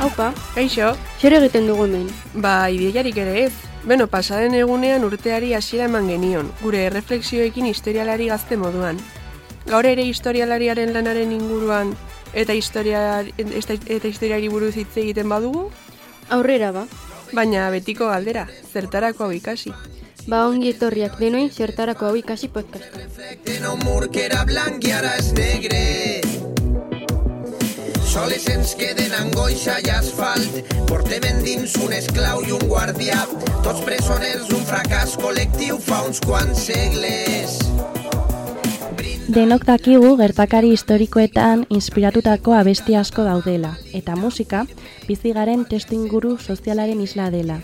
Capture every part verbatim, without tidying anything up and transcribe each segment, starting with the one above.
Haupa, Kaixo, zer egiten dugu hemen? ba, ideiarik ere ez. Beno, pasaden egunean urteari hasiera eman genion, gure erreflexioekin historialari gazte moduan. Gaur ere historialariaren lanaren inguruan eta, historia, eta historiari buruz hitz egiten badugu, Aurrera ba. baina betiko galdera, zertarako hau ikasi. Ba ongi etorriak denoi zertarako hau ikasi podcasta. En un mur que era blanc i ara és negre. Soles ens queden angoixa i asfalt. Portem endins un esclau i un guardià. Tots presoners, un fracàs col·lectiu fa uns quants segles. Denok dakigu gertakari historikoetan inspiratutako abesti asko daudela, eta musika bizigaren testuinguru sozialaren isla dela.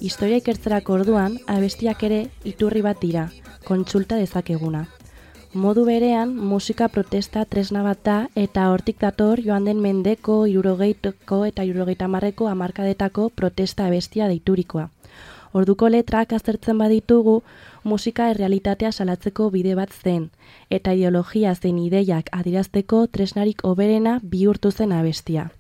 Historia ikertzerako orduan, abestiak ere iturri bat dira, kontsulta dezakeguna. Modu berean, musika protesta tresna bat da eta hortik dator joan den mendeko, hirurogeiko eta hirurogeita hamarreko hamarkadetako protesta abestia deiturikoa. Orduko letrak aztertzen baditugu, musika errealitatea salatzeko bide bat zen, eta ideologia zein ideiak adierazteko tresnarik hoberena bihurtu zen abestia.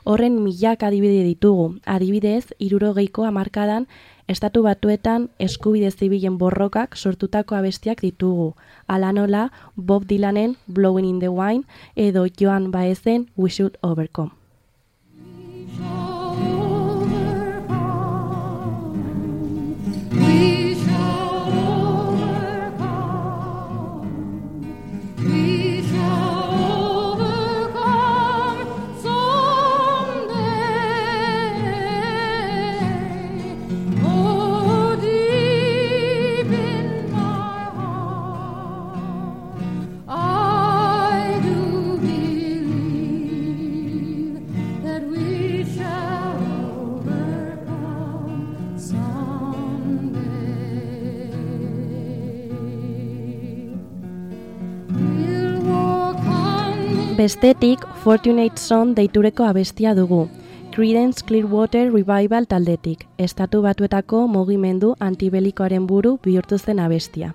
Horren milak adibide ditugu, adibidez, hirurogeiko hamarkadan Estatu Batuetan eskubide zibilen borrokak sortutako abestiak ditugu, hala nola Bob Dylanen Blowing in the Wind edo Joan Baezen We Should Overcome. Bestetik, Fortunate Son deitureko abestia dugu, Creedence Clearwater Revival taldetik, Estatu Batuetako mugimendu antibelikoaren buru bihurtu zen abestia.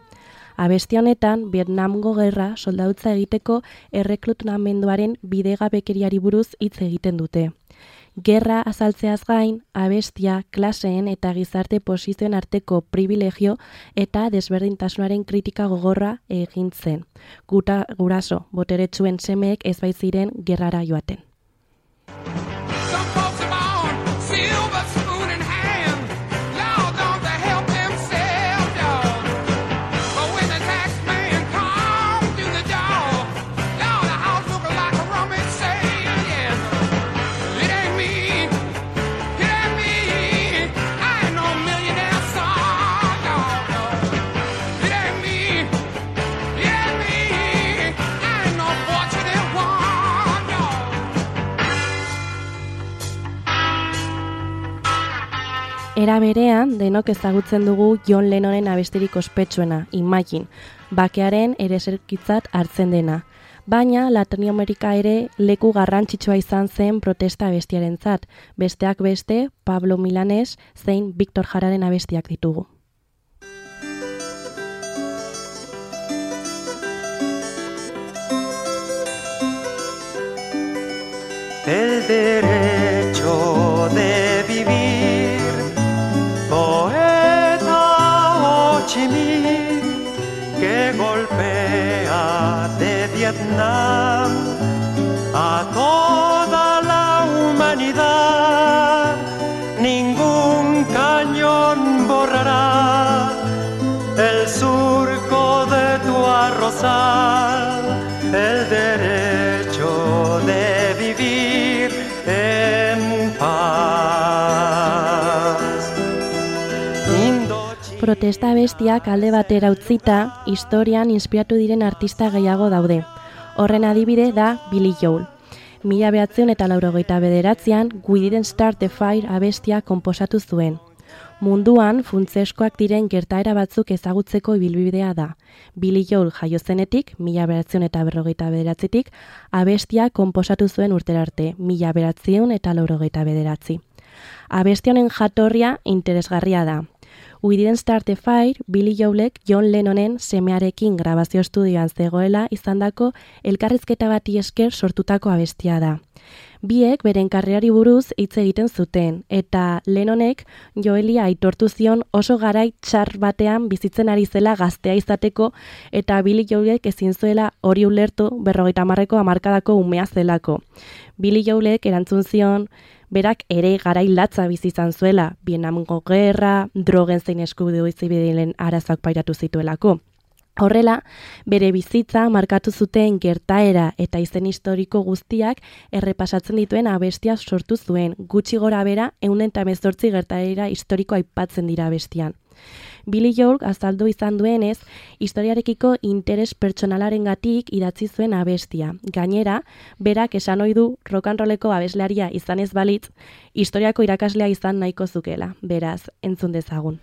Abesti honetan, Vietnamgo gerra soldautza egiteko erreklutamenduaren bidegabekeriari buruz hitz egiten dute. Gerra azaltzeaz gain, abestia, klaseen eta gizarte posizioen arteko privilegio eta desberdintasunaren kritika gogorra egin zen. Guta, guraso, boteretsuen semeek ez baitziren gerrara joaten. Era berean, denok ezagutzen dugu John Lennonen abestirik ospetsuena, Imagine, bakearen ereserkitzat hartzen dena. Baina Latinoamerika ere leku garrantzitsua izan zen protesta abestiarentzat, besteak beste Pablo Milanés zein Victor Jararen abestiak ditugu. El derecho de vivir, poeta Ho Chi Minh, que golpea de Vietnam a toda la humanidad. Ningún cañón borrará el surco de tu arrozal, el derecho de vivir en paz. Protesta abestiak alde batera utzita, historian inspiratu diren artista gehiago daude. Horren adibide da Billy Joel. Mila behatziehun eta laurogeita bederatzean We Didn't Start the Fire abestia konposatu zuen. Munduan funtseskoak diren gertaera batzuk ezagutzeko ibilbidea da. Billy Joel jaio zenetik, mila behatziehun eta berrogeita bederatzitik, abestia konposatu zuen urterarte, mila behatziehun eta laurogeita bederatzi. Abesti honen jatorria interesgarria da. We Didn't Start the Fire, Billy Joelek John Lennonen semearekin grabazio estudioan zegoela izandako elkarrizketa bati esker sortutako abestia da. Biek beren karrerari buruz hitz egiten zuten, eta Lennonek Joeli aitortu zion oso garai txar batean bizitzen ari zela gaztea izateko, eta Billy Joelek ezin zuela hori ulertu berrogeita hamarreko hamarkadako umea zelako. Billy Joelek erantzun zion, berak ere garai latza bizi izan zuela, Vietnamgo gerra, drogen zein eskubide zibilen arazoak pairatu zituelako. Horrela, bere bizitza markatu zuten gertaera eta izen historiko guztiak errepasatzen dituen abestia sortu zuen, gutxi gora bera ehun eta hemezortzi gertaera historiko aipatzen dira abestian. Billy Joel azaldu izan duenez, historiarekiko interes pertsonalarengatik idatzi zuen abestia. Gainera, berak esan ohi du rock and rolleko abeslaria izan ez balitz, historiako irakaslea izan nahiko zukela. Beraz, entzun dezagun.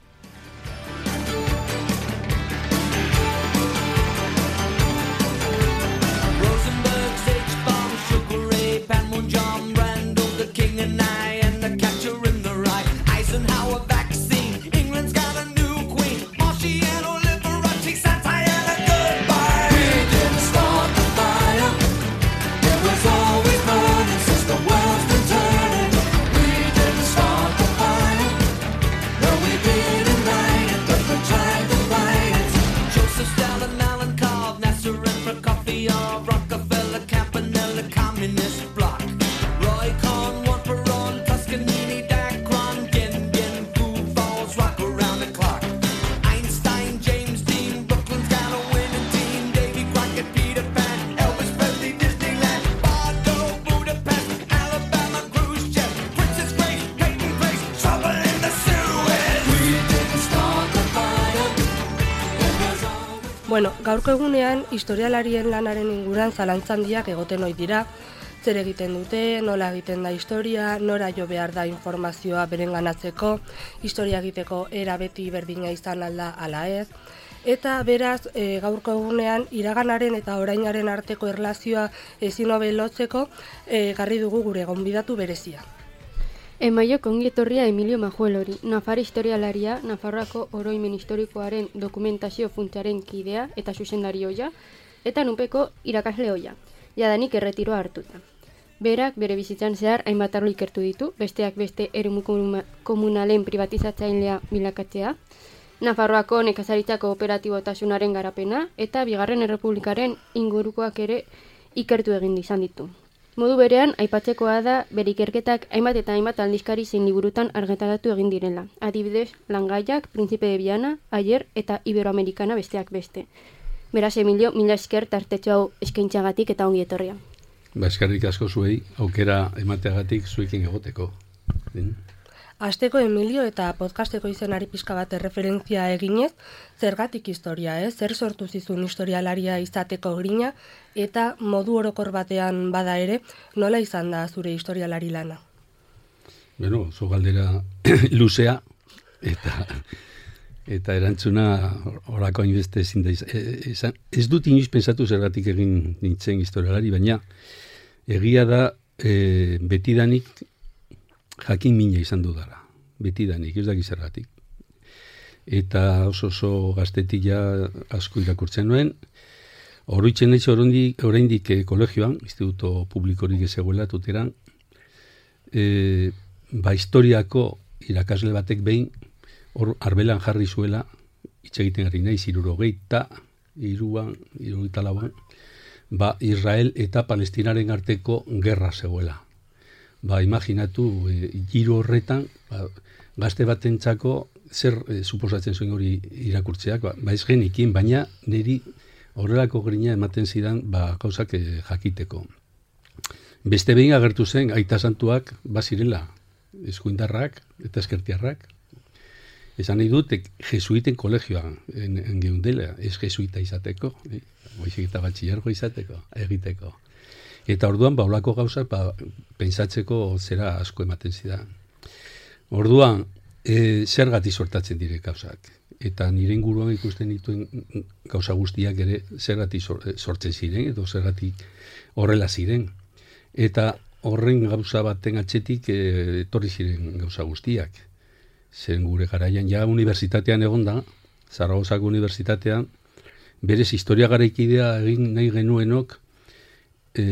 Bueno, gaurko egunean historialarien lanaren inguruan zalantza handiak egoten ohi dira. Zer egiten dute, nola egiten da historia, nora jo behar da informazioa berenganatzeko, historia egiteko era beti berdina izan alda ala ez. Eta beraz, e, gaurko egunean iraganaren eta orainaren arteko erlazioa ezin hobe lotzeko e, garri dugu gure gonbidatu berezia. Emaio kongi etorria Emilio Majuelori, Nafar historialaria, Nafarroako oroimen historikoaren dokumentazio funtsaren kidea eta zuzendari ohia, eta nunpeko irakasle ohia, jadanik erretiroa hartuta. Berak bere bizitzan zehar hainbat arlo ikertu ditu, besteak beste eremu komunalen privatizatzailea bilakatzea, Nafarroako nekazaritzako operatibotasunaren garapena eta Bigarren Errepublikaren ingurukoak ere ikertu egin izan ditu. Modu berean, aipatzekoa da bere ikerketak hainbat eta hainbat aldizkari zein liburutan argitaratu egin direla. Adibidez, Langaiak, Príncipe de Viana, Ayer eta Iberoamerikana besteak beste. Beraz, Emilio, mila esker tartetxo hau eskaintzagatik eta ongi etorria. Ba, eskerrik asko zuei, aukera emateagatik zuekin egoteko. Asteko Emilio eta podcasteko izenari pizka bat erreferentzia eginez, zergatik historia, eh? Zer sortu zizun historialaria izateko grina, eta modu orokor batean bada ere, nola izan da zure historialari lana? Bueno, zo galdera luzea, eta eta erantzuna horako hainbeste ezin da izan. Ez dut inoiz pensatu zergatik egin nintzen historialari, baina egia da e, betidanik jakin mina izan dudala, betidanik, ez daki zergatik. Eta oso oso gaztetik ja asko irakurtzen nuen, oroitzen naiz oraindik kolegioan, instituto publikorik ezegoela tuteran, e, ba historiako irakasle batek behin, hor arbelan jarri zuela, hitz egiten ari naiz, hirurogeita, hiruan, hirurogeita lauan, ba Israel eta Palestinaren arteko gerra zegoela. Ba, imaginatu, e, giro horretan, ba, gazte batentzako zer e, suposatzen zuen hori irakurtzeak, ba, ba ez genikin, baina niri horrelako grina ematen zidan ba, gauzak e, jakiteko. Beste behin agertu zen, aita santuak bazirela, eskuindarrak eta eskertiarrak. Esan nahi dut, jesuiten kolegioan en, en geundela, ez jesuita izateko, eh? Baizik eta batxillergo izateko, egiteko. Eta orduan, ba, olako gauzak, ba, pentsatzeko zera asko ematen zidan. Orduan, e, zergatik sortatzen dire gauzak. Eta nire inguruan ikusten dituen gauza guztiak ere zergatik sortzen ziren, edo zergatik horrela ziren. Eta horren gauza baten atzetik e, etorri ziren gauza guztiak. zen gure garaian ja unibertsitatean egon da, Zaragozako unibertsitatean, berez historia garaikidea egin nahi genuenok, e,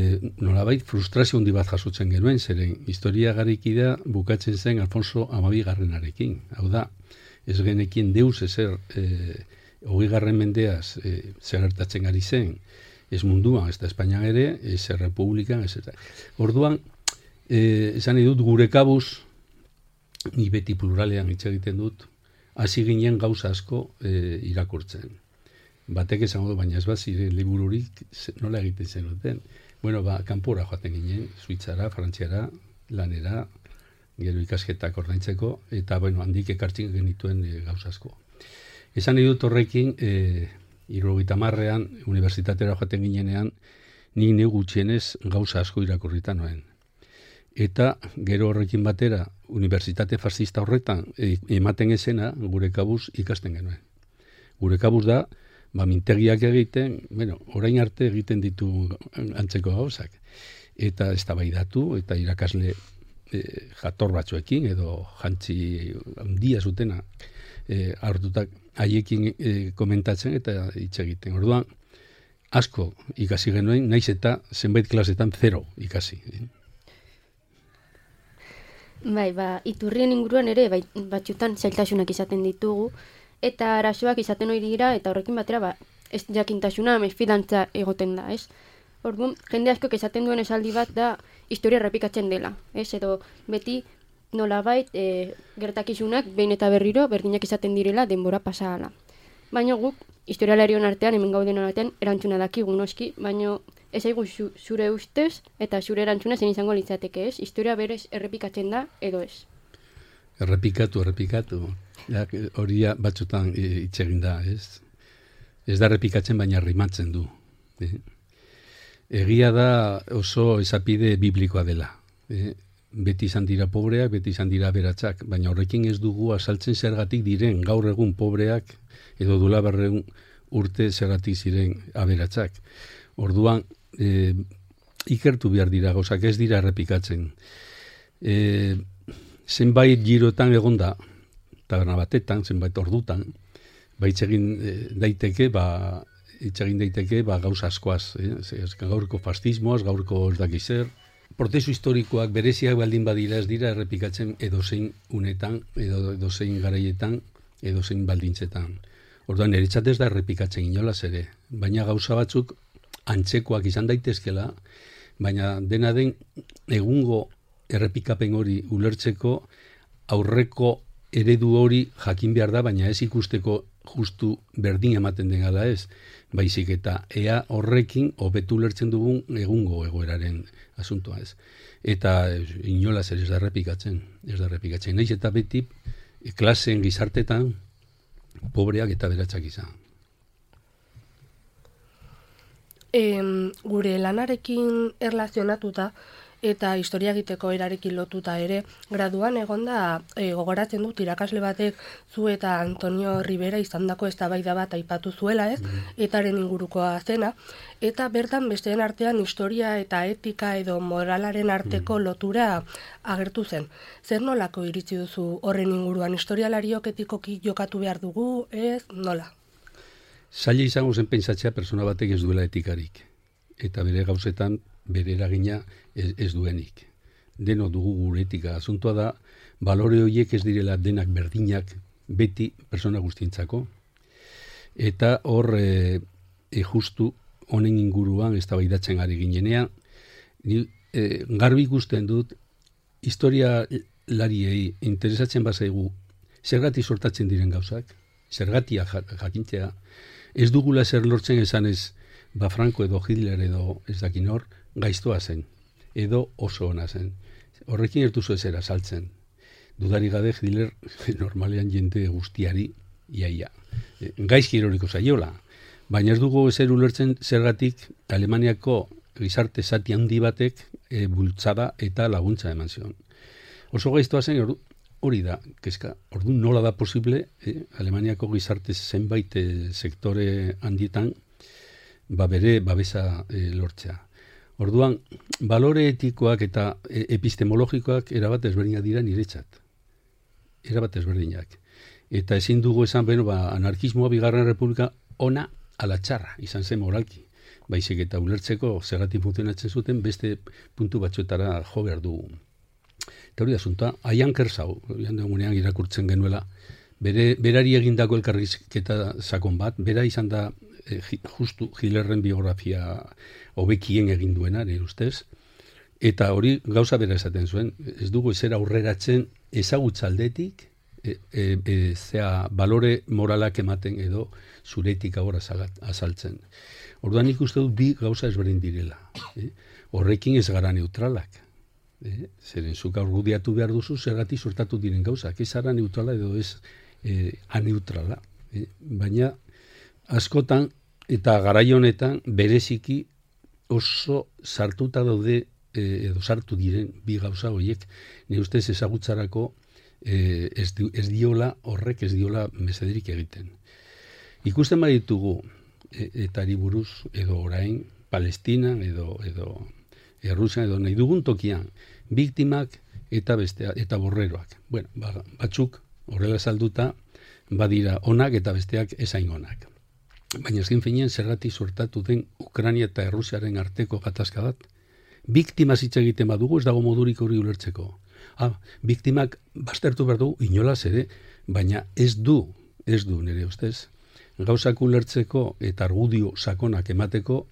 nolabait frustrazio handi bat jasotzen genuen, zeren historia garaikidea bukatzen zen Alfonso Hamabigarrenarekin. Hau da, ez genekin deus ezer e, hogei garren mendeaz e, zer gertatzen ari zen, ez munduan, ez da Espainian ere, ez Errepublikan, ez eta. Orduan, e, esan edut gure kabuz, ni beti pluralean hitz egiten dut, hasi ginen gauza asko e, irakurtzen. Batek esango du, baina ez bat ziren libururik nola egiten zenuten. Bueno, ba, kanpora joaten ginen, Suitzara, Frantziara, lanera, gero ikasketak ordaintzeko, eta bueno, handik ekartzen genituen e, gauza asko. Esan nahi dut horrekin, e, hirurogeita hamarrean, unibertsitatera joaten ginenean, nik neu gutxienez gauza asko irakurrita noen. Eta gero horrekin batera, unibertsitate fascista horretan e, ematen esena gure kabuz ikasten genuen. Gure kabuz da, ba, mintegiak egiten, bueno, orain arte egiten ditu antzeko gauzak. Eta eztabaidatu eta irakasle e, jator batzuekin edo jantzi handia zutena e, hartutak haiekin e, komentatzen eta hitz egiten. Orduan, asko ikasi genuen, naiz eta zenbait klasetan zero ikasi. Bai, ba, iturrien inguruan ere, bai, batxutan zailtasunak izaten ditugu, eta arazoak izaten hori dira, eta horrekin batera, ba, ez jakintasuna, mesfidantza egoten da, ez? Orduan, jende asko esaten duen esaldi bat da, historia errepikatzen dela, ez? Edo, beti nolabait, e, gertakizunak, behin eta berriro, berdinak izaten direla, denbora pasahala. Baina guk, historialarion artean, hemen gauden artean, erantzuna dakigu noski, baina ez aigu zure ustez, eta zure erantzuna zen izango litzateke, ez? Historia berez errepikatzen da, edo ez? Errepikatu, errepikatu. Ja, hori batzutan hitz egin da, ez? Ez da errepikatzen, baina rimatzen du. Eh? Egia da oso esapide biblikoa dela. Eh? Beti izan dira pobreak, beti izan dira aberatsak, baina horrekin ez dugu azaltzen zergatik diren gaur egun pobreak, edo dula berreun urte zergatik ziren aberatsak. Orduan, e, ikertu behar dira gauzak, ez dira errepikatzen. E, zenbait girotan egonda, taberna batetan, zenbait ordutan, ba itxegin daiteke, ba, itxegin daiteke, ba, gauza askoaz, eh? Gaurko fascismoaz, gaurko ez dakiz zer. Prozesu historikoak bereziak baldin badira ez dira errepikatzen edozein unetan, edo edozein garaietan, edozein baldintzetan. Orduan, niretzat ez da errepikatzen inolaz ere, baina gauza batzuk antzekoak izan daitezkela, baina dena den egungo errepikapen hori ulertzeko aurreko eredu hori jakin behar da, baina ez ikusteko justu berdin ematen den gala ez, baizik eta ea horrekin hobetu ulertzen dugun egungo egoeraren asuntoa ez. Eta inolaz ere ez da errepikatzen, ez da errepikatzen. Naiz eta beti klaseen gizartetan pobreak eta beratsak izan. E, gure lanarekin erlazionatuta eta historia egiteko erarekin lotuta ere, graduan egonda e, gogoratzen dut irakasle batek zu eta Antonio Rivera izandako eztabaida bat aipatu zuela, ez? Mm. Etaren ingurukoa zena, eta bertan besteen artean historia eta etika edo moralaren arteko mm. lotura agertu zen. Zer nolako iritzi duzu horren inguruan, historialariok etikoki jokatu behar dugu, ez? Nola? Zaila izango zen pentsatzea persona batek ez duela etikarik, eta bere gauzetan bere eragina ez, ez duenik. Deno dugu gure etika. Asuntoa da, balore horiek ez direla denak berdinak beti persona guztientzako, eta hor e, e justu honen inguruan eztabaidatzen ari ginenean, ni e, garbi ikusten dut historia lariei interesatzen bazaigu zergatik sortatzen diren gauzak, zergatia jakintzea, ez dugula zer lortzen esanez ba Franco edo Hitler edo ez dakin hor gaiztoa zen, edo oso ona zen. Horrekin ertuzu ezera saltzen. Dudari gabe Hitler normalean jende guztiari iaia. Gaizki eroriko zaiola, baina ez dugu ezer ulertzen zergatik Alemaniako gizarte zati handi batek e, bultzada eta laguntza eman zion. Oso gaiztoa zen hori da, kezka, orduan nola da posible eh, Alemaniako gizarte zenbait eh, sektore handietan ba bere babesa e, lortzea. Orduan, balore etikoak eta e, epistemologikoak erabat ezberdinak dira niretzat. erabat ezberdinak. Eta ezin dugu esan, beno, ba, anarkismoa bigarren republika ona ala txarra izan zen moralki. Baizik eta ulertzeko zergatik funtzionatzen zuten beste puntu batzuetara jo behar dugu. Eta hori da asuntoa, Ian Kershaw, jandegunean irakurtzen genuela, bere, berari egindako elkarrizketa sakon bat, bera izan da eh, justu Hitlerren biografia hobekien egin duena, nire ustez, eta hori gauza bera esaten zuen, ez dugu ezer aurreratzen ezagutzaldetik, e, e, e, zea balore moralak ematen edo zuretik agora azaltzen. Orduan ikuste dut bi gauza ezberdin direla. Eh? Horrekin ez gara neutralak. Eh? Zeren zuk argudiatu behar duzu zergatik sortatu diren gauzak. Ez ara neutrala edo ez eh, aneutrala. Eh? Baina askotan eta garai honetan bereziki oso sartuta daude eh, edo sartu diren bi gauza horiek nire ustez ezagutzarako eh, ez, di, ez diola horrek ez diola mesederik egiten. Ikusten baditugu eta buruz edo orain Palestina edo edo Errusia edo nahi dugun tokian biktimak eta bestea eta borreroak. Bueno, ba, batzuk horrela salduta badira onak eta besteak ezain onak. Baina ezken finean zergatik suertatu den Ukraina eta Errusiaren arteko gatazka bat. Biktima hitz egiten badugu ez dago modurik hori ulertzeko. Ah, biktimak baztertu behar dugu inolaz ere, baina ez du, ez du nire ustez. Gauzak ulertzeko eta argudio sakonak emateko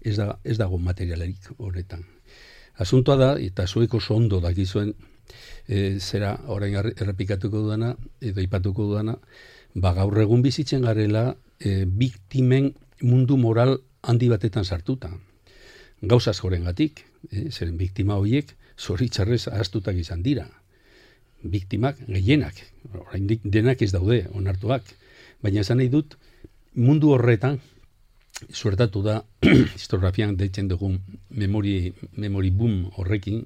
ez, da, ez dago materialerik horretan. Asuntoa da, eta zuek oso ondo dakizuen, e, zera orain errepikatuko dudana, edo ipatuko dudana, ba gaur egun bizitzen garela e, biktimen mundu moral handi batetan sartuta. Gauzaz jorengatik, e, zeren biktima horiek zoritxarrez ahaztutak izan dira. Biktimak gehienak, orain denak ez daude onartuak, baina esan nahi dut, mundu horretan, suertatu da, historiografian deitzen dugun memori, memori boom horrekin,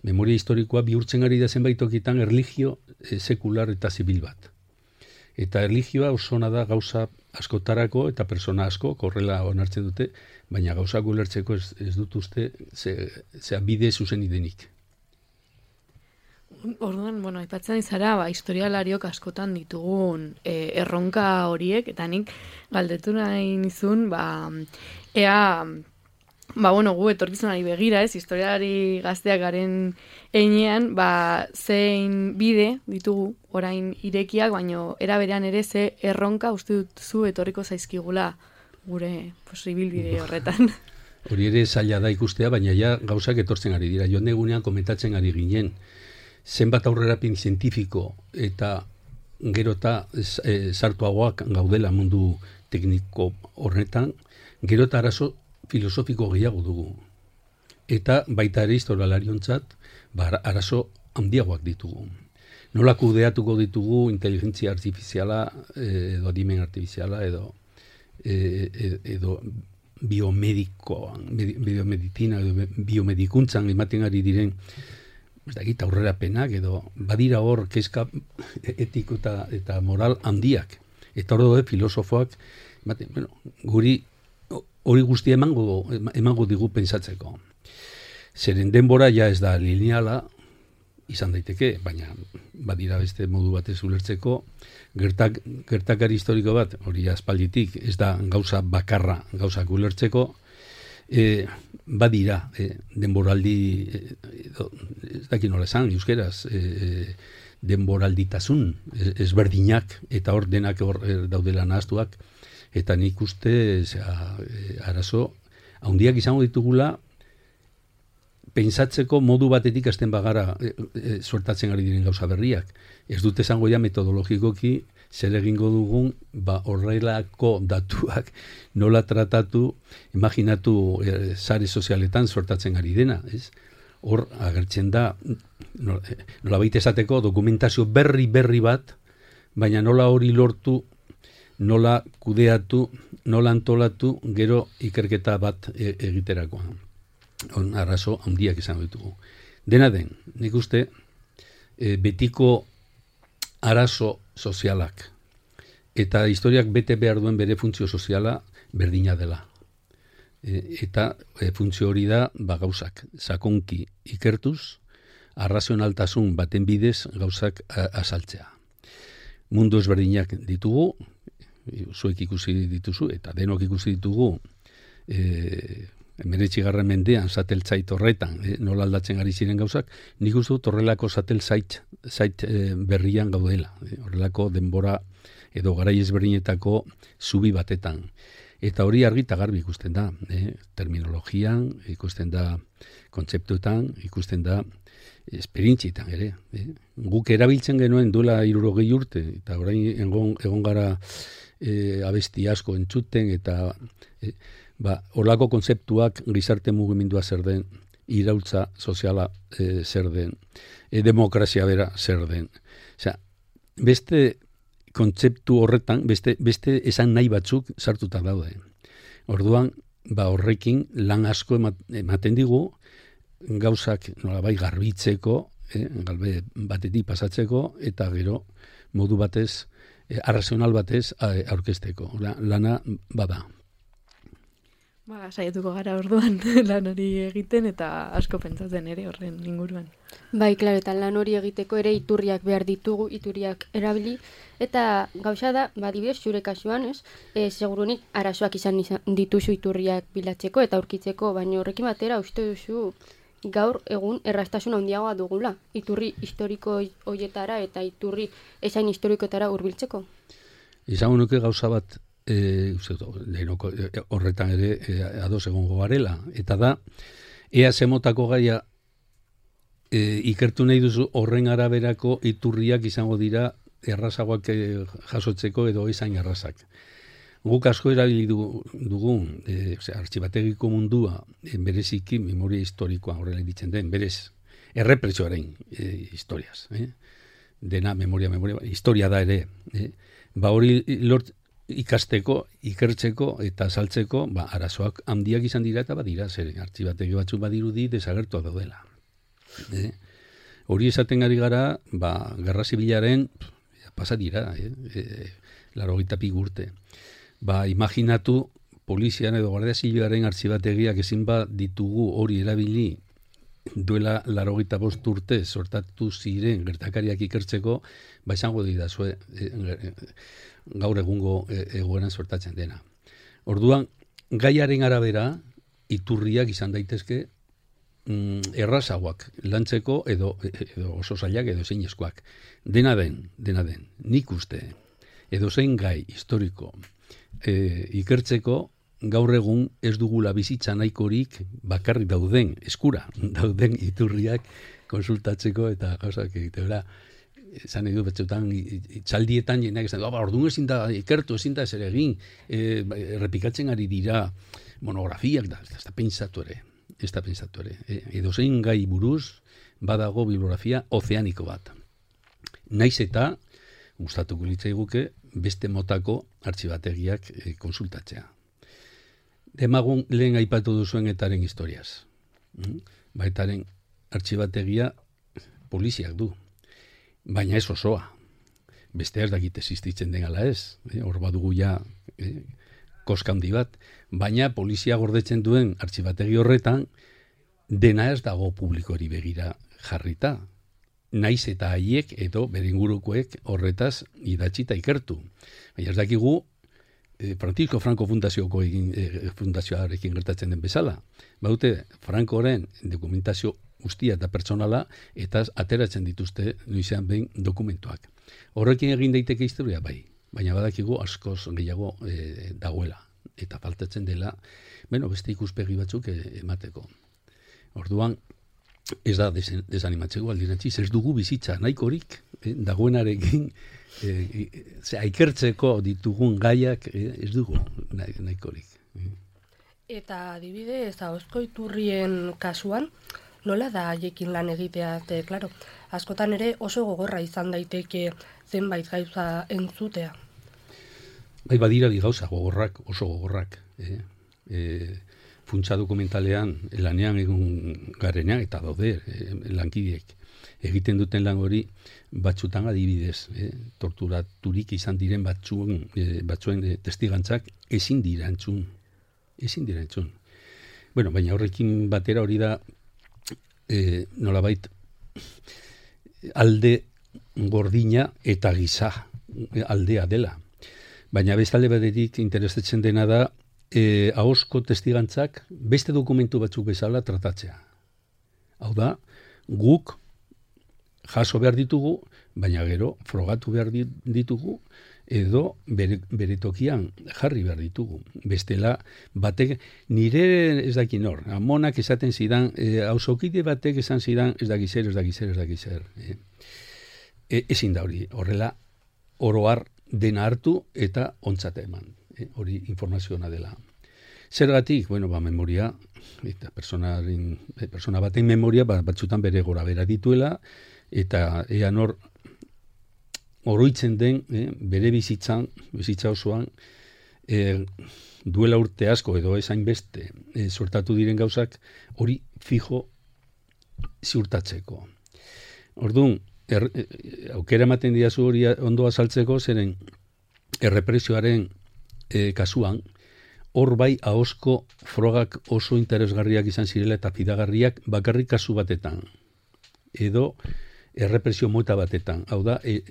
memoria historikoa bihurtzen ari da zenbait tokitan erlijio e, sekular eta zibil bat. Eta erlijioa oso ona da gauza askotarako eta persona asko, korrela onartzen dute, baina gauzak ulertzeko ez, ez dut uste ze, zea bide zuzen idenik. Orduan, bueno, aipatzen izara, ba, historialariok askotan ditugun e, erronka horiek, eta nik galdetu nahi nizun, ba, ea, ba, bueno, gu etorkizunari begira, ez, historialari gazteak garen einean, ba, zein bide ditugu orain irekiak, baino era berean ere ze erronka uste duzu etorriko zaizkigula gure posibilbide horretan. Hori ere zaila da ikustea, baina ja gauzak etortzen ari dira. Joan egunean komentatzen ari ginen, zenbat aurrerapen zientifiko eta gero eta e, sartuagoak gaudela mundu tekniko horretan, gero eta arazo filosofiko gehiago dugu. Eta baita ere historialariontzat ba, arazo handiagoak ditugu. Nola kudeatuko ditugu inteligentzia artifiziala edo adimen artifiziala edo, e, edo biomedikoan, biomedicina edo biomedikuntzan ematen ari diren ez dakit aurrerapenak edo badira hor kezka etiko eta, eta moral handiak. Eta hor daude filosofoak ematen, bueno, guri hori guztia emango, emango digu pentsatzeko. Zeren denbora ja ez da lineala izan daiteke, baina badira beste modu batez ulertzeko gertak, gertakari historiko bat, hori aspalditik, ez da gauza bakarra gauzak ulertzeko, E, badira e, denboraldi e, ez dakit nola esan euskeraz e, denboralditasun ezberdinak eta hor denak hor e, daudela nahaztuak eta nik uste zera, e, arazo handiak izango ditugula pentsatzeko modu batetik hasten bagara e, e, suertatzen ari diren gauza berriak. Ez dut esango ja metodologikoki zer egingo dugun, ba horrelako datuak nola tratatu, imaginatu e, sare sozialetan sortatzen ari dena, ez? Hor agertzen da, nola, nola baita esateko dokumentazio berri berri bat, baina nola hori lortu, nola kudeatu, nola antolatu, gero ikerketa bat e, egiterakoan. On arrazo handiak izango ditugu. Dena den, nik uste, e, betiko arazo sozialak eta historiak bete behar duen bere funtzio soziala berdina dela. E, eta e, funtzio hori da ba, gauzak sakonki ikertuz, arrazionaltasun baten bidez gauzak azaltzea. Mundu ezberdinak ditugu, zuek ikusi dituzu, eta denok ikusi ditugu, e, hemeretzigarren mendean sateltzait horretan, e, nola aldatzen ari ziren gauzak, nik uste dut horrelako sateltzait zait, e, berrian gaudela, e, horrelako denbora edo garai ezberdinetako zubi batetan. Eta hori argi eta garbi ikusten da, e, terminologian, ikusten da kontzeptuetan, ikusten da esperientzietan ere. E. Guk erabiltzen genuen duela hirurogei urte, eta orain egon, egon gara e, abesti asko entzuten, eta e, ba, horlako kontzeptuak gizarte mugimendua zer den, iraultza soziala e, zer den, e, demokrazia bera zer den. Osea, beste kontzeptu horretan, beste, beste esan nahi batzuk sartuta daude. Orduan, ba, horrekin lan asko ematen digu, gauzak nolabait garbitzeko, eh, galbe batetik pasatzeko, eta gero modu batez, eh, arrazional batez aurkezteko. Lana bada. Ba, saiatuko gara orduan lan hori egiten eta asko pentsatzen ere horren inguruan. Bai, klaro, eta lan hori egiteko ere iturriak behar ditugu, iturriak erabili, eta gauza da, ba, dibidez, zure kasuan, ez, e, segurunik arazoak izan, izan dituzu iturriak bilatzeko eta aurkitzeko, baina horrekin batera uste duzu gaur egun erraztasun handiagoa dugula, iturri historiko hoietara eta iturri esain historikoetara hurbiltzeko. Izango nuke gauza bat, E, denoko, e, horretan ere e, ados egongo garela, eta da ea zemotako gaia e, ikertu nahi duzu horren araberako iturriak izango dira errazagoak e, jasotzeko edo ezain errazak. Guk asko erabili dugu e, artxibategiko mundua e, bereziki memoria historikoa horrela ditzen den, berez errepresioaren e, historiaz, eh? Dena memoria, memoria, historia da ere, eh? Ba hori lort ikasteko, ikertzeko eta saltzeko, ba, arazoak handiak izan dira eta badira, zer, artxibategi batzuk badirudi desagertua daudela. E? Hori esaten ari gara, ba, Gerra Zibilaren pasa dira, eh? e, laurogeita pi urte. Ba, imaginatu polizian edo Guardia Zibilaren artxibategiak ezin ba ditugu hori erabili duela laurogeita bost urte sortatu ziren gertakariak ikertzeko, ba izango didazue e, e, gaur egungo egoeran sortatzen dena. Orduan, gaiaren arabera, iturriak izan daitezke mm, errazagoak lantzeko edo, edo oso zailak edo zein eskoak. Dena den, dena den, nik uste, edo zein gai historiko e, ikertzeko gaur egun ez dugula bizitza nahikorik bakarrik dauden, eskura dauden iturriak konsultatzeko eta gauzak egitera. Esan edu betxotan, txaldietan jenak esan, orduan ezin da ikertu, ezin da ezer egin, e, errepikatzen ari dira monografiak, da, ez da pentsatu ere, ez da pentsatu ere. E, edo zein gai buruz, badago bibliografia ozeaniko bat. Naiz eta, gustatuko litzaiguke, beste motako artxibategiak e, konsultatzea. Demagun lehen aipatu duzuen etaren historiaz. Mm? Ba, etaren artxibategia poliziak du. Baina ez osoa. Beste ez dakit existitzen den ala ez. Hor eh? badugu ja eh? koska handi bat. Baina polizia gordetzen duen artxibategi horretan dena ez dago publikori begira jarrita. Naiz eta haiek edo beringurukoek horretaz idatzi eta ikertu. Baina ez dakigu eh, Francisco Franco fundazioko egin, eh, fundazioarekin gertatzen den bezala. Baute, Francoren dokumentazio guztia eta pertsonala, eta ateratzen dituzte noizean behin dokumentuak. Horrekin egin daiteke historia bai, baina badakigu askoz gehiago e, dagoela, eta faltatzen dela, bueno, beste ikuspegi batzuk e, emateko. Orduan, ez da desanimatzeko aldirantziz, ez dugu bizitza nahikorik, e, dagoenarekin, e, e, ikertzeko ditugun gaiak e, ez dugu nahikorik. Eta adibidez, ahozko iturrien kasuan, nola da haiekin lan egitea, te, klaro, askotan ere oso gogorra izan daiteke zenbait gauza entzutea. Bai, badira bi gauza gogorrak, oso gogorrak. Eh? E, funtsa dokumentalean, lanean egun garenean, eta daude eh, lankideek. Egiten duten lan hori batzutan adibidez, eh? torturaturik izan diren batzuen, eh, batzuen eh, testigantzak ezin dira entzun. Ezin dira entzun. Bueno, baina horrekin batera hori da, E, nolabait alde gordina eta giza aldea dela. Baina bestalde batetik interesatzen dena da eh, ahozko testigantzak beste dokumentu batzuk bezala tratatzea. Hau da, guk jaso behar ditugu, baina gero frogatu behar ditugu, edo bere, bere tokian jarri behar ditugu. Bestela, batek, nire ez daki nor, amonak esaten zidan, e, hausokide batek esan zidan, ez daki zer, ez daki zer, ez daki zer. E, e, ezin da hori, horrela, oroar dena hartu eta ontzata eman. E, hori informazioa dela. Zergatik, bueno, ba, memoria, eta personaren, persona baten memoria, ba, batzutan bere gora bera dituela, eta ea nor oroitzen den, eh, bere bizitzan, bizitza osoan, eh, duela urte asko edo ezain beste eh, sortatu diren gauzak, hori fijo ziurtatzeko. Orduan, er, eh, aukera ematen diazu hori ondo azaltzeko, zeren errepresioaren eh, kasuan, hor bai ahozko frogak oso interesgarriak izan zirela eta fidagarriak bakarrik kasu batetan. Edo errepresio mota batetan. Hau da, e,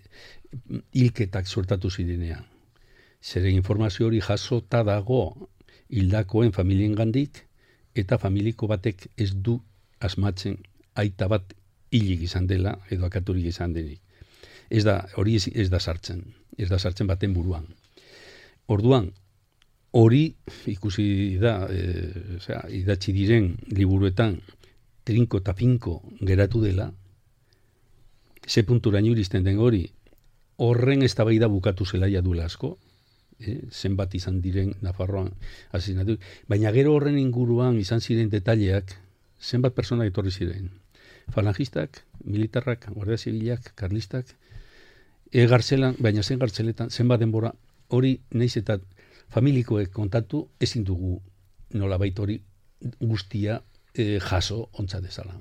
hilketak sortatu zirenean. Zere informazio hori jasota dago hildakoen familien gandik eta familiko batek ez du asmatzen aita bat hilik izan dela edo akaturik izan denik. Ez da, hori ez, ez da sartzen. Ez da sartzen baten buruan. Orduan, hori ikusi da, e, osea, idatzi diren liburuetan trinko eta pinko geratu dela, ze punturaino iristen den hori, horren eztabaida bukatu zelaia duela asko, eh, zenbat izan diren Nafarroan asesinatu, baina gero horren inguruan izan ziren detaileak, zenbat persona etorri ziren. Falangistak, militarrak, guardia zibilak, karlistak, e gartzelan, baina zen gartzeletan, zenbat denbora, hori naiz eta familikoek kontatu ezin dugu nolabait hori guztia e, jaso ontza dezala.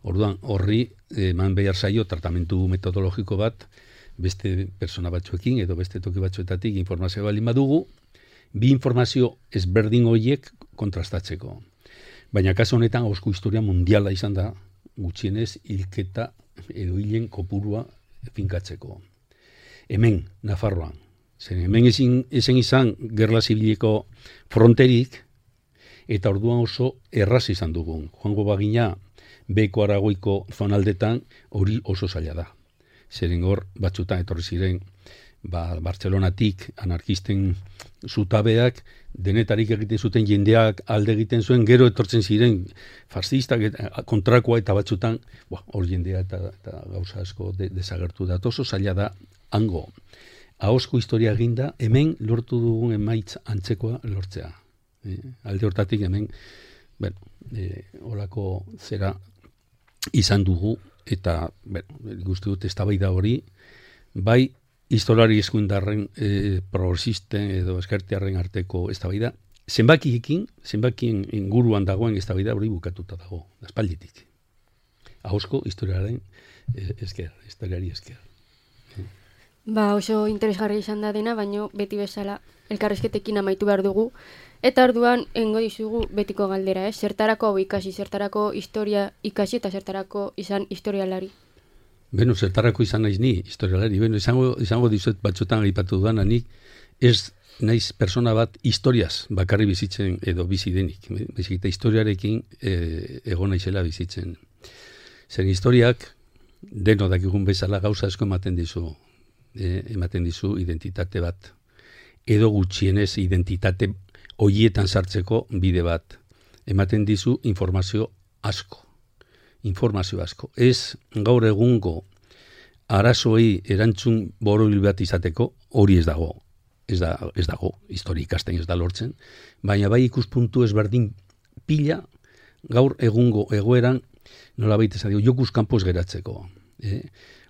Orduan, horri eman behar zaio tratamentu metodologiko bat beste persona batzuekin edo beste toki batzuetatik informazio bali badugu, bi informazio ezberdin horiek kontrastatzeko. Baina kasu honetan ahozko historia mundiala izan da, gutxienez hilketa edo hilen kopurua finkatzeko. Hemen, Nafarroan. Zen hemen ezin, ezin izan gerla zibiliko fronterik, eta orduan oso erraz izan dugun. Joango bagina, Beko Aragoiko zonaldetan hori oso zaila da. Zeren hor batzutan etorri ziren ba, Bartzelonatik anarkisten zutabeak, denetarik egiten zuten jendeak alde egiten zuen, gero etortzen ziren fascistak kontrakoa eta batzutan hor jendea eta, eta gauza asko de, desagertu da. Oso zaila da hango. Ahozko historia eginda, hemen lortu dugun emaitz antzekoa lortzea. E, alde hortatik hemen, bueno, e, olako zera izan dugu, eta, bueno, guzti dut eztabaida hori, bai, historiari eskuindarren e, progresisten edo eskertiarren arteko eztabaida, zenbakiekin, zenbakien inguruan dagoen eztabaida hori bukatuta dago, aspalditik. Ahozko historiaren e, esker, historiari esker. Ba, oso interesgarri izan da dena, baino beti bezala elkarrezketekin amaitu behar dugu. Eta orduan engo dizugu betiko galdera, eh? Zertarako hau ikasi, zertarako historia ikasi eta zertarako izan historialari. Beno, zertarako izan naiz ni historialari. Beno, izango, izango dizuet batzutan aipatu dudan, nik ez naiz persona bat historiaz bakarri bizitzen edo bizi denik. Bezik eta historiarekin e, egon naizela bizitzen. Zen historiak deno dakigun bezala gauza asko ematen dizu, e, ematen dizu identitate bat. Edo gutxienez identitate hoietan sartzeko bide bat. Ematen dizu informazio asko. Informazio asko. Ez gaur egungo arazoei erantzun borobil bat izateko, hori ez dago. Ez, da, ez dago, histori ikasten ez da lortzen. Baina bai ikuspuntu ezberdin pila gaur egungo egoeran nolabait esan dugu, jokuz kanpoz geratzeko. Eh?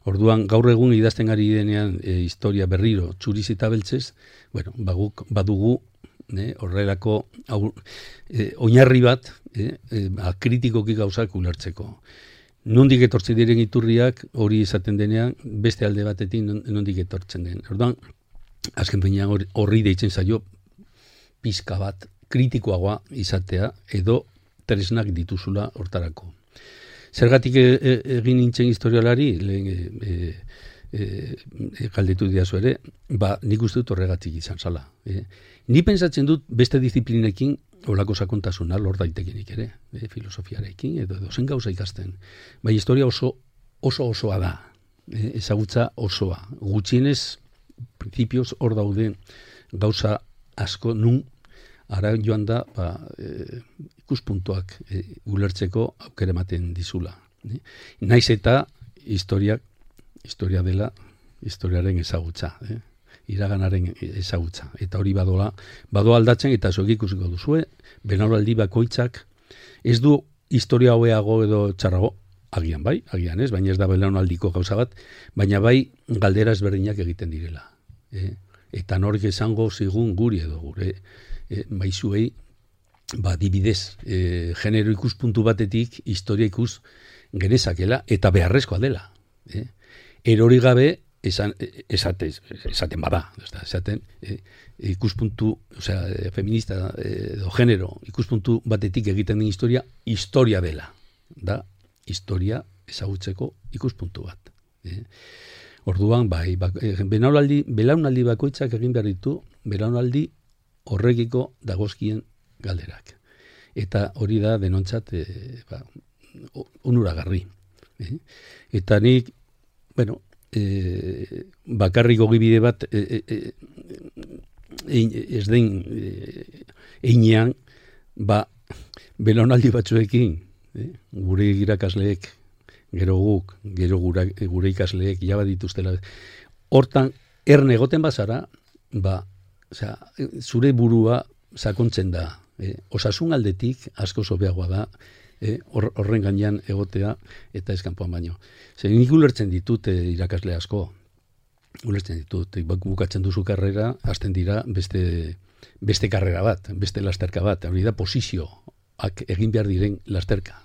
Orduan, gaur egun idazten ari denean e, historia berriro txuriz eta beltzez, bueno, baguk, badugu ne, horrelako au, e, oinarri bat e, e, kritikoki gauzak ulertzeko. Nondik etortzen diren iturriak hori esaten denean, beste alde batetik nondik etortzen den. Orduan, azken finean horri deitzen zaio pizka bat kritikoagoa izatea edo tresnak dituzula hortarako. Zergatik e, e, egin nintzen historialari, lehen e, e, e, galdetu diazu ere, ba, nik uste dut horregatik izan zala. E. Ni pentsatzen dut beste disiplinekin olako sakontasuna lor daitekenik ere, e, filosofiarekin, edo edo zen gauza ikasten. Bai, historia oso oso osoa da, e, ezagutza osoa. Gutxienez, principios hor daude gauza asko nun ara joan da ba, e, ikuspuntuak e, ulertzeko aukera ematen dizula. E? Naiz eta historiak, historia dela historiaren ezagutza, e? iraganaren ezagutza. Eta hori badoa, badoa aldatzen eta zuek ikusiko duzue, belaunaldi bakoitzak ez du historia hobeago edo txarrago, agian bai, agian ez, baina ez da belaunaldiko gauza bat, baina bai galdera ezberdinak egiten direla. E? Eta nork esango zigun guri edo gure e, maizuei, ba, dibidez, e, genero ikuspuntu batetik historia ikus genezakela eta beharrezkoa dela. E? Erori gabe esan, esatez, esaten bada, esaten e, ikuspuntu, osea, feminista edo genero ikuspuntu batetik egiten den historia, historia dela. Da, historia ezagutzeko ikuspuntu bat. E? Orduan, bai, bak, belaunaldi, belaunaldi bakoitzak egin behar ditu, belaunaldi horrekiko dagozkien galderak. Eta hori da denontzat e, ba, onuragarri. E? Eta nik, bueno, e, bakarrik ogibide bat e, e, e, ez den e, einean, ba, belaunaldi batzuekin, e, gure irakasleek, gero guk, gero gura, gure ikasleek jaba dituztela. Hortan, erne egoten bazara, ba, osea, zure burua sakontzen da. Eh? Osasun aldetik asko sobeagoa da, eh? horren gainean egotea eta eskanpoan baino. Zer, nik ulertzen ditut eh, irakasle asko, ulertzen ditut, bukatzen duzu karrera, hasten dira beste, beste karrera bat, beste lasterka bat, hori da posizioak egin behar diren lasterka.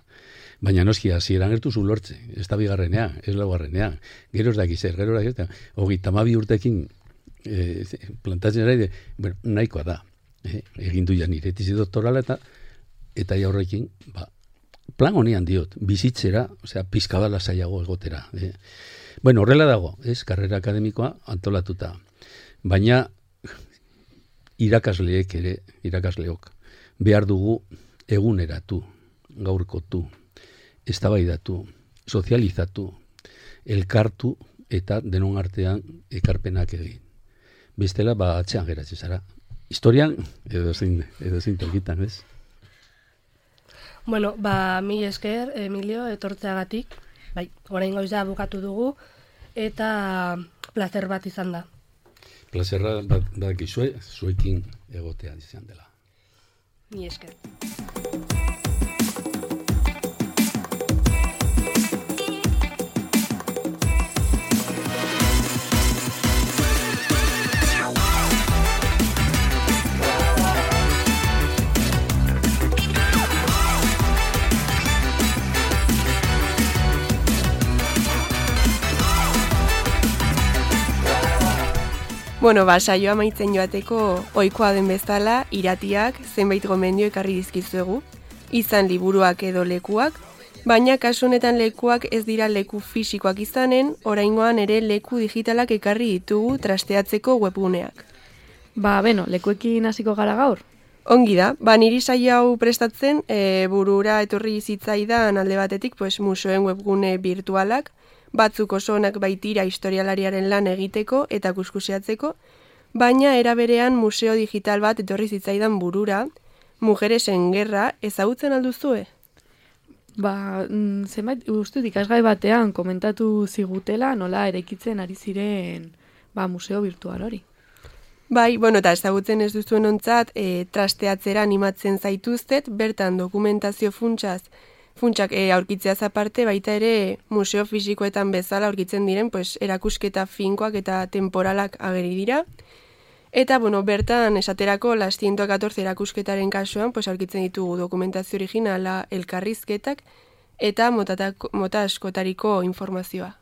Baina noski, hasieran gertu zu lortze, ez da bigarrenean, ez laugarrenean, gero ez dakiz zer, gero ez dakiz, hogeita hamabi urtekin e, plantatzen ere, bueno, nahikoa da, e, egin du ja nire tesi doktorala eta eta jaurrekin, ba, plan honean diot, bizitzera, osea, pizkabala zailago egotera. E. Bueno, horrela dago, ez, karrera akademikoa antolatuta, baina irakasleek ere, irakasleok, behar dugu eguneratu, gaurkotu, eztabaidatu, sozializatu, elkartu eta denon artean ekarpenak egin. Bestela, ba, atzean geratzen zara. Historian, edo zein, edo zein tokitan, ez? Bueno, ba, mi esker, Emilio, etortzeagatik. Bai, orain goiza bukatu dugu, eta placer bat izan da. Plazerra bat, bat gizue, zuekin egotea izan dela. Mi esker. Bueno, ba, saioa amaitzen joateko ohikoa den bezala, iratiak zenbait gomendio ekarri dizkizuegu, izan liburuak edo lekuak, baina kasu honetan lekuak ez dira leku fisikoak izanen, oraingoan ere leku digitalak ekarri ditugu trasteatzeko webguneak. Ba, beno, lekuekin hasiko gara gaur? Ongi da, ba, niri saio hau prestatzen, e, burura etorri zitzaidan alde batetik, pues, museoen webgune virtualak, batzuk oso onak baitira historialariaren lan egiteko eta kuskuseatzeko, baina era berean museo digital bat etorri zitzaidan burura, Mujeresen Gerra, ezagutzen alduzue? Ba, zenbait, uste ikasgai batean komentatu zigutela nola erekitzen ari ziren ba, museo virtual hori. Bai, bueno, eta ezagutzen ez duzuen ontzat, e, trasteatzera animatzen zaituztet, bertan dokumentazio funtsaz, funtsak e, aurkitzeaz aparte, baita ere museo fisikoetan bezala aurkitzen diren, pues, erakusketa finkoak eta temporalak ageri dira. Eta, bueno, bertan esaterako las ciento catorce erakusketaren kasuan, pues, aurkitzen ditugu dokumentazio originala, elkarrizketak eta motatako, mota askotariko informazioa.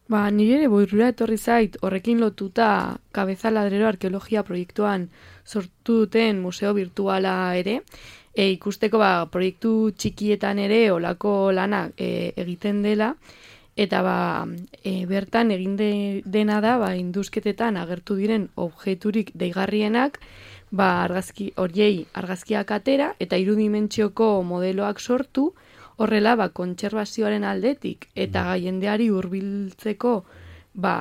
Ba, nire ere burura etorri zait horrekin lotuta Cabeza Ladrero arkeologia proiektuan sortu duten museo virtuala ere, e, ikusteko ba, proiektu txikietan ere olako lana e, egiten dela, eta ba, e, bertan egin de, dena da ba, induzketetan agertu diren objekturik deigarrienak, ba, argazki, horiei argazkiak atera eta irudimentsioko modeloak sortu, horrela ba, kontserbazioaren aldetik eta jendeari hurbiltzeko ba,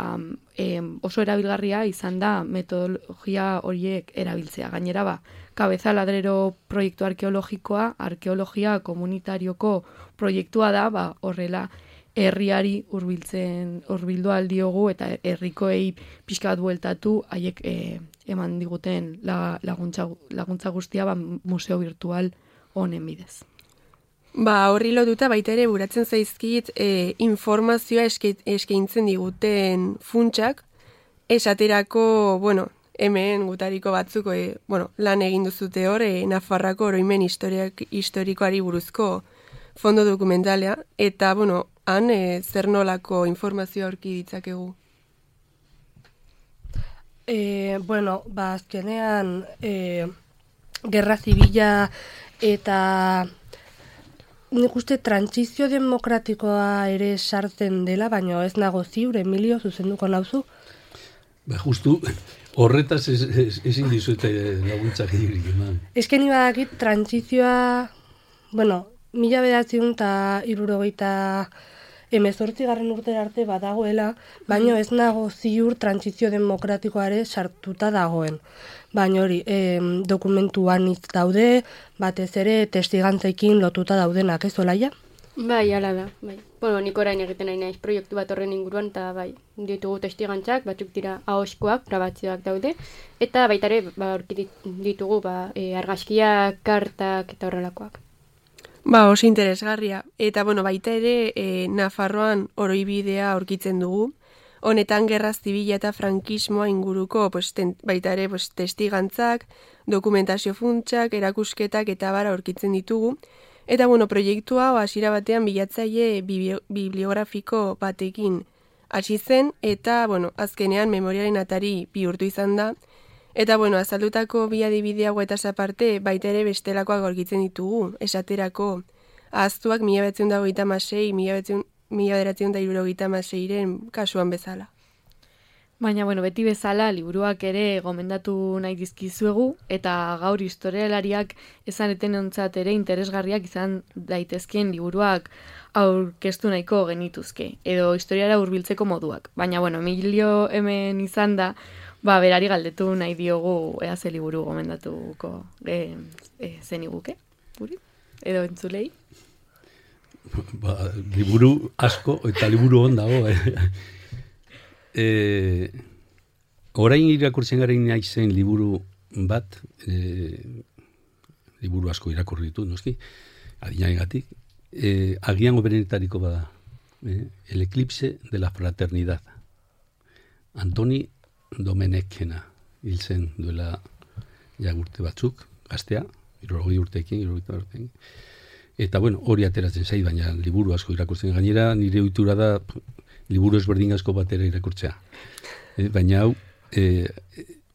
e, oso erabilgarria izan da metodologia horiek erabiltzea. Gainera ba, Kabeza Ladrero proiektu arkeologikoa, arkeologia komunitarioko proiektua da, ba, horrela herriari hurbiltzen hurbildu aldiogu eta herrikoei pixka bat bueltatu haiek e, eman diguten la, laguntza, laguntza guztia ba, museo virtual honen bidez. Ba, horri lotuta baita ere buratzen zaizkit e, informazioa eske, eskaintzen diguten funtsak, esaterako, bueno, hemen gutariko batzuk e, bueno, lan egin duzute hor, e, Nafarroako oroimen historiak, historikoari buruzko fondo dokumentalea, eta, bueno, han e, zer nolako informazioa aurki ditzakegu? E, bueno, ba, azkenean, e, gerra zibila eta nik uste trantsizio demokratikoa ere sartzen dela, baina ez nago ziur, Emilio, zuzenduko nauzu? Ba, justu, horretaz ezin dizuete laguntzak egirik eman. Ezken ibadakit, trantsizioa, bueno, mila bedatziun eta hirurogeita hemezortzi garren urtera arte badagoela, baina ez nago ziur trantsizio demokratikoa ere sartuta dagoen. Baina hori, e, dokumentuan hitz daude, batez ere testigantzekin lotuta daudenak, ez Olaia? Bai, ala da, bai. Bueno, nik orain egiten nahi naiz proiektu bat horren inguruan, eta bai, ditugu testigantzak, batzuk dira ahoskoak, grabatzioak daude, eta baita ere, ba, aurki ditugu, ba, e, argazkiak, kartak eta horrelakoak. Ba, oso interesgarria. Eta, bueno, baita ere, e, Nafarroan oroibidea aurkitzen dugu. Honetan gerra zibila eta frankismoa inguruko pues, ten, baita ere pues, testigantzak, dokumentazio funtsak, erakusketak eta bara aurkitzen ditugu. Eta, bueno, proiektua hasiera batean bilatzaile bibliografiko batekin hasi zen, eta, bueno, azkenean memoriaren atari bihurtu izan da. Eta, bueno, azaldutako bi adibide hauetaz aparte, baita ere bestelakoak aurkitzen ditugu, esaterako ahaztuak mila bederatziehun eta hogeita hamasei, mila bederatziehun eta hirurogeita hamaseiren kasuan bezala. Baina, bueno, beti bezala, liburuak ere gomendatu nahi dizkizuegu, eta gaur historialariak ezaneten ontzat ere interesgarriak izan daitezkien liburuak aurkeztu nahiko genituzke, edo historiara hurbiltzeko moduak. Baina, bueno, Emilio hemen izan da, ba, berari galdetu nahi diogu ea ze liburu gomendatuko e, e, zen iguke, guri? Edo entzulei? Ba, liburu asko eta liburu on dago. Eh? E, orain irakurtzen garen naizen liburu bat, e, liburu asko irakurri ditu, noski, adinaegatik, e, agian oberenetariko bada, e, El eclipse de la fraternidad. Antoni Domenekena hil zen duela jagurte batzuk, gaztea, hirurogei urteekin, hirurogei urteekin. Eta, bueno, hori ateratzen zait, baina liburu asko irakurtzen. Gainera, nire ohitura da liburu ezberdin asko batera irakurtzea. E, baina hau, e,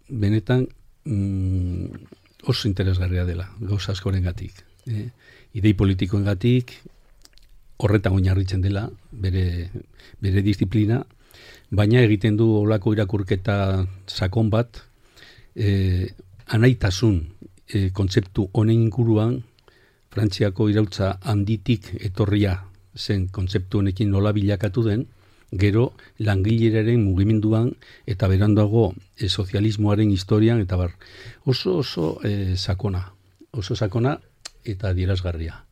benetan mm, oso interesgarria dela, gauza askorengatik. E, idei politikoengatik, horretan oinarritzen dela, bere, bere disiplina, baina egiten du olako irakurketa sakon bat, e, anaitasun e, kontzeptu honen inguruan, Frantziako iraultza handitik etorria zen kontzeptu honekin nola bilakatu den, gero langileraren mugimenduan eta beranduago e, sozialismoaren historian, eta bar, oso oso e, sakona, oso sakona eta adierazgarria.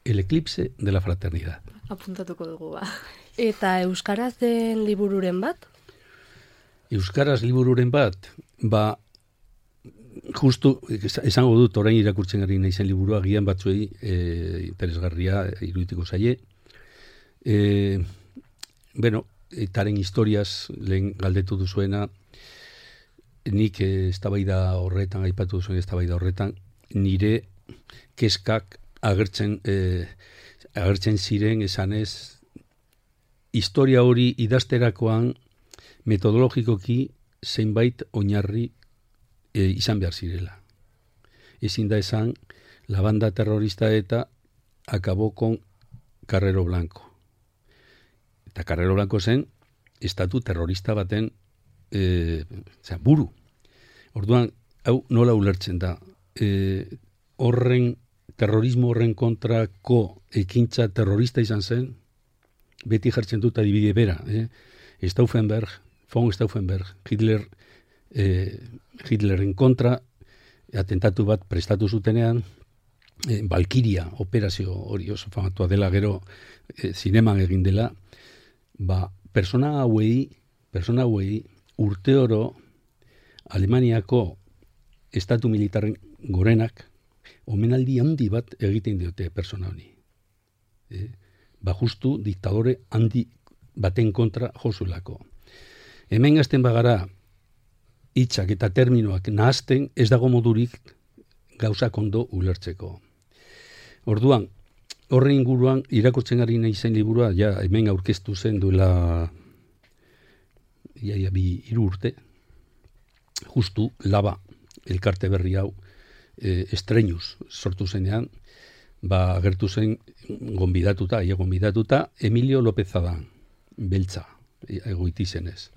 El eclipse de la fraternidad. Apuntatuko dugu, ba. Eta euskaraz den libururen bat? Euskaraz libururen bat, ba, justu, esango dut, orain irakurtzen gari naizen liburua, agian batzuei e, interesgarria irudituko zaie. E, bueno, etaren historiaz lehen galdetu duzuena, nik eztabaida horretan, aipatu duzuen eztabaida horretan, nire kezkak agertzen, e, agertzen ziren esanez, historia hori idazterakoan metodologikoki zeinbait oinarri e, izan behar zirela. Ezin da esan la banda terrorista ETA acabó con Carrero Blanco. Eta Carrero Blanco zen, estatu terrorista baten e, zera, buru. Orduan, hau nola ulertzen da. E, horren, terrorismo horren kontrako ekintza terrorista izan zen, beti jartzen dut adibide bera. Eh? Stauffenberg, von Stauffenberg, Hitler, eh, Hitlerren kontra, atentatu bat prestatu zutenean, eh, Valkyria operazio hori oso famatua dela gero eh, zineman egin dela, ba, persona hauei, persona hauei urte oro Alemaniako estatu militarren gorenak omenaldi handi bat egiten diote persona honi. Eh? Ba justu diktadore handi baten kontra josulako. Hemen gazten bagara hitzak eta terminoak nahazten ez dago modurik gauzak ondo ulertzeko. Orduan, horren inguruan irakurtzen ari nahi zen liburua, ja hemen aurkeztu zen duela ia, ia, bi hiru urte, justu Laba elkarte berri hau e, estrenuz sortu zenean, ba agertu zen gonbidatuta, ia gonbidatuta Emilio López Adán, beltza, egoiti zenez.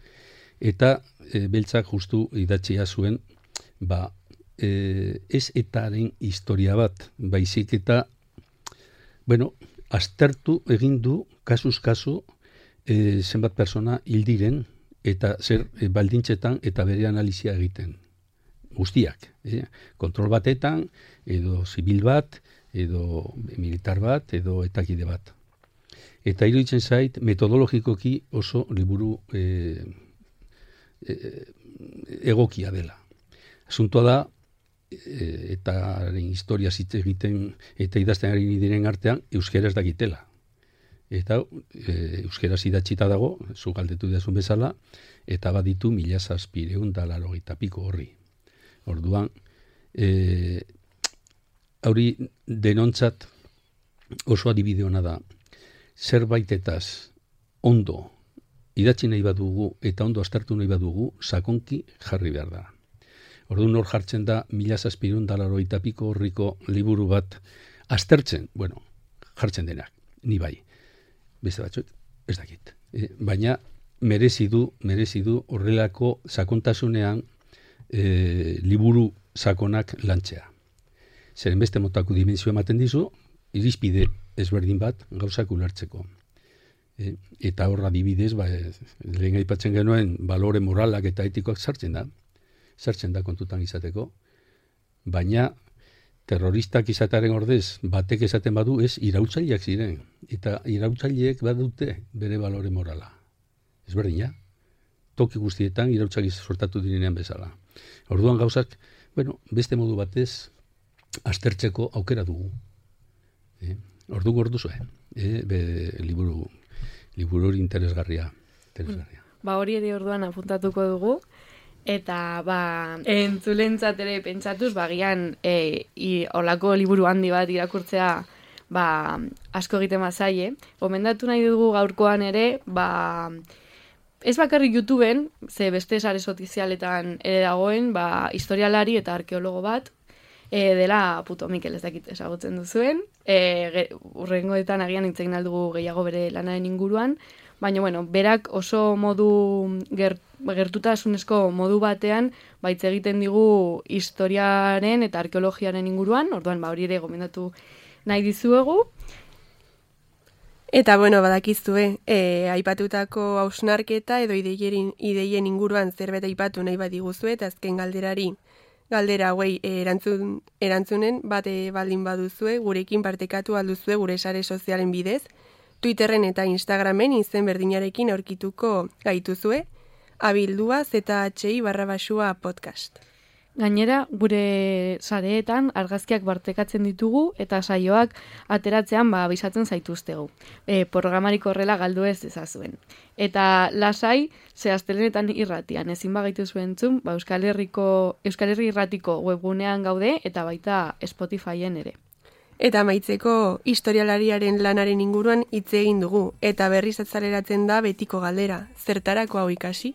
Eta e, beltzak justu idatzia zuen, ba, e, ez etaren historia bat, baizik eta, bueno, aztertu egin du, kasuz kasu, e, zenbat persona hildiren, eta zer e, baldintzetan eta bere analizia egiten. Guztiak, eh? Kontrol batetan, edo zibil bat, edo militar bat, edo etakide bat. Eta iruditzen zait, metodologikoki oso liburu e, e, egokia dela. Asuntoa da, e, eta historia zitze egiten eta idazten ari diren artean, euskaraz dakitela. Eta e, euskaraz idatzita dago, zu galdetu dazun bezala, eta baditu mila zazpireun da larogeita piko horri. Orduan, e, hauri denontzat oso adibide hona da, zerbaitetaz ondo idatzi nahi badugu eta ondo aztertu nahi badugu, sakonki jarri behar da. Orduan hor jartzen da, mila zazpireun da larogeita piko horriko liburu bat aztertzen, bueno, jartzen denak, ni bai. Beste batzuk, ez dakit. E, baina merezi du, merezi du horrelako sakontasunean e, liburu sakonak lantzea. Zeren beste motako dimensio ematen dizu, irizpide ezberdin bat gauzak ulertzeko. E, eta horra adibidez, ba, lehen aipatzen genuen balore moralak eta etikoak sartzen da, sartzen da kontutan izateko, baina terroristak izatearen ordez, batek esaten badu ez iraultzaileak ziren. Eta iraultzaileek badute bere balore morala. Ez berdina. Toki guztietan iraultzak sortatu direnean bezala. Orduan gauzak, bueno, beste modu batez, aztertzeko aukera dugu. E, orduan ordu zuen. E, be, liburu, liburu interesgarria. interesgarria. Ba hori ere orduan apuntatuko dugu. Eta, ba, entzulentzat ere pentsatuz, ba, gian, e, i, olako liburu handi bat irakurtzea, ba, asko egiten bazaie. Gomendatu nahi dugu gaurkoan ere, ba, ez bakarrik YouTubeen, ze beste sare sozialetan ere dagoen, ba, historialari eta arkeologo bat, e, dela Puto Mikel, ez dakit ezagutzen duzuen, e, urrengoetan agian itzegin aldugu gehiago bere lanaren inguruan, baina, bueno, berak oso modu gert, gertutasunezko modu batean baitz egiten digu historiaren eta arkeologiaren inguruan, orduan ba hori ere gomendatu nahi dizuegu. Eta, bueno, badakizue, e, aipatutako hausnarketa edo ideien, ideien inguruan zerbait aipatu nahi badiguzue, eta azken galderari, galdera hauei erantzun, erantzunen bate baldin baduzue, gurekin partekatu alduzue gure sare sozialen bidez, Twitterren eta Instagramen izen berdinarekin aurkituko gaituzue, abildua zhi barra basua podcast. Gainera, gure sareetan argazkiak bartekatzen ditugu eta saioak ateratzean ba abisatzen zaituztegu. E, programarik horrela galdu ez dezazuen. Eta lasai, ze astelenetan irratian ezin bagaitu zuentzun, ba Euskal Herriko Euskal Herri Irratiko webgunean gaude eta baita Spotifyen ere. Eta amaitzeko historialariaren lanaren inguruan hitz egin dugu, eta berriz atzaleratzen da betiko galdera, zertarako hau ikasi?